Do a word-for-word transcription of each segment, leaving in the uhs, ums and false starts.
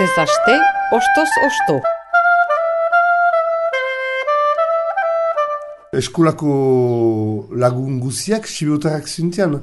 Astez aste, ostoz osto. Eskolako lagun guziak sibotarrak zintian?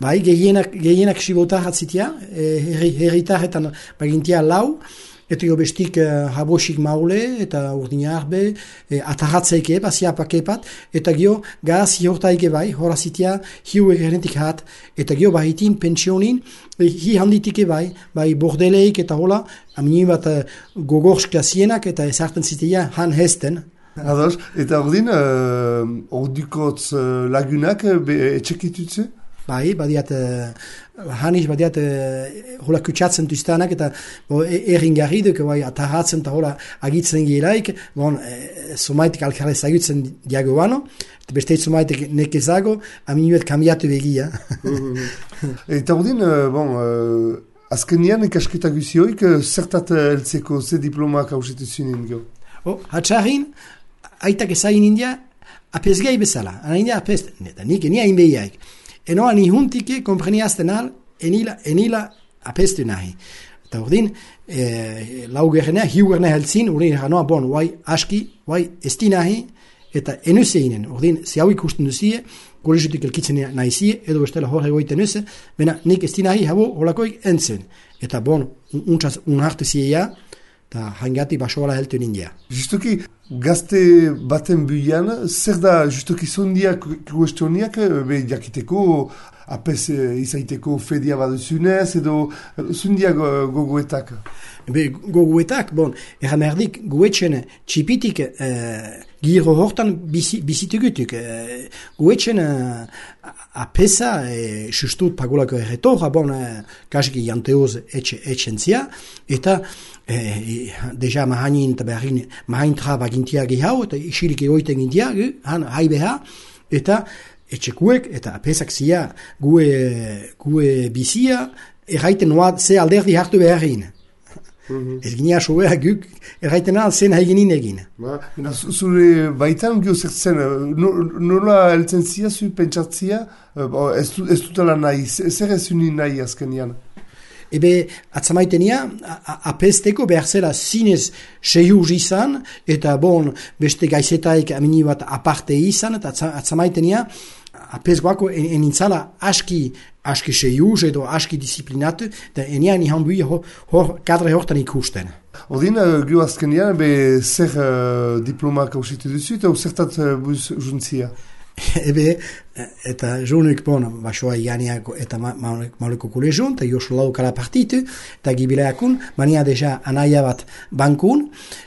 Bai, gehienak, gehienak sibotarrak zitia, herri, herritarretan bagintia lau, eta jo bestik uh, habosik maule, eta urdina arbe, e, atarratzeike, basiapak epat, eta gio gaz hiortaike bai, hora zitia, hiu egerentik hat, eta gio bahitin pensionin, e, hi handitike bai, bai bordeleik eta hola, amini bat uh, gogorska zienak, eta ezarten zitia han hesten. Ados, eta ordin, uh, ordikotz uh, lagunak uh, etxekitutze? Bai, badiat, uh, hanis badiat uh, hola kutsatzen duztanak eta bo, errin garri duk, bai, atarratzen eta hola agitzen gielaik, bon, e, somaitik alkarre zagutzen diagoano, eta beste somaitik nekezago, aminuet kambiatu begia. Eta ordin, uh, bon, uh, azkenian ikasketa guzioik, uh, zertat heltzeko ze diplomak hausetu zinen gau? Oh, hatxarrin, aitak ezain india, apesgai bezala, ana india apest, neta, nik enia inbeiaik. Enoa ni huntike kompreniazten al, enila, enila apestu nahi. Eta urdin, e, lau gerrenea, hiu gerrenea heltzin, urdin eranoa, bon, guai aski, guai esti nahi, eta enuseinen, urdin, ze hau ikusten duzie, golezutik elkitzen nahi zie, edo bestela hor egoiten nuze, bena nik esti nahi, habo, holakoik entzen. Eta bon, untsaz, unhartu zieia, eta hangati basoala heltu nindia. Justuki, gazte baten buian, zer da justuki zondiak kuestioniak, be jakiteko, apes izaiteko fedia baduzunez, edo zondiak gogoetak? Be, gogoetak, bon, erran erdik, goetxen txipitik eh, giro hortan bizi, bizitugutuk. Eh, goetxen eh, apesa, eh, sustut pagolako erretorra, bon, eh, kasiki janteoz etxentzia, eta Eh, deja mahanin eta beharin mahain traba gintia gehau eta isilik egoiten gintia han hai beha eta etxekuek eta apesak zia gue, gue bizia erraiten noa ze alderdi hartu beharin. Mm-hmm. Ez ginia sobea guk erraiten al zen haiginin egin. Ba, zure baitan gio zertzen, nola heltzen zia zu pentsatzia, ez, ez dutela nahi, zer ez unin nahi azkenian? Ebe, atzamaitenia, apesteko behar zela zinez seiur izan, eta bon, beste gaizetaik amini bat aparte izan, eta atzamaitenia, apesgoako enintzala aski, aski seiur edo aski disiplinatu, eta enian ihan bui hor, hor kadre hortan ikusten. Odin, gio azkenian, be zer uh, diplomak hausitu duzu, eta zertat uh, buz juntzia? Ebe, eta joanik bon, basoa ianiak eta mauleko kolegion, eta josu laukala partitu, eta gibileakun, mania deja anaia bat bankun,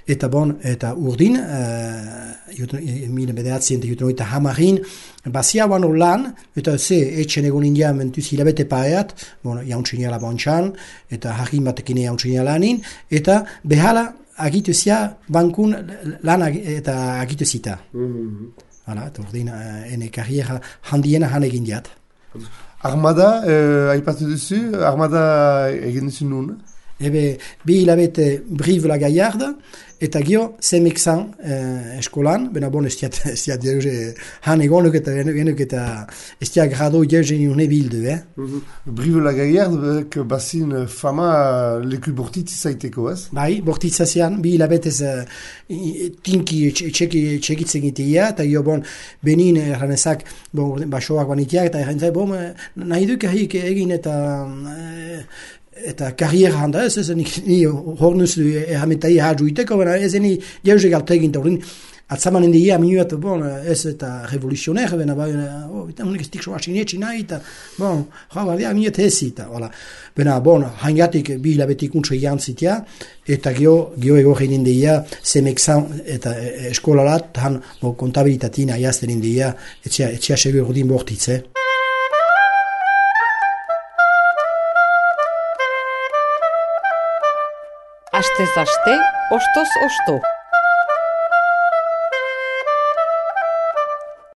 eta bon, eta urdin, uh, mila bederatzien eta jutunoita hamarin, basia bano lan, eta ze etxen egon india mentuz hilabete paeat, bon, jauntxiniala bontxan, eta harin batekine jauntxiniala lanin, eta behala agitu zia bankun lan ag eta agitu zita. Mm-hmm. Hala, eta ordin, ene karriera handiena han egin diat. Armada, eh, aipatu duzu, armada egin duzu nun? Ebe, bi hilabete Brive la Gaillarde, eta gio, zemekzan eh, eskolan, bena bon, ez diat, ez diat, han egonuk eta genuk eta ez diat grado jeuzen urne bildu, eh? Mm-hmm. Brive la Gaillarde, bazin fama leku bortitz izaiteko, ez? Bai, bortitzazian, bi hilabetez uh, tinki txekitzen gitea, eta gio, bon, benin erranezak, bon, basoak banitiak, eta erranezak, bon, nahi duk egin eta... Uh, eta karriera handa ez, ez nik ni hornuz errametai hajuiteko, baina ez eni jauze galte egin, eta horren atzamanen dira minuat, bon, ez eta revoluzioner, baina oh, eta honek ez tikso asinetxi nahi, eta bon, ja, baina minuat hezi, eta hola, baina bon, hangatik bi hilabetik untso jantzitea, eta gio, gio ego geinen dira, zemekzan eta eskolalat, han bon, kontabilitatina jazten dira, etxea, etxea segur ordin bortitze. Astez aste, ostoz osto.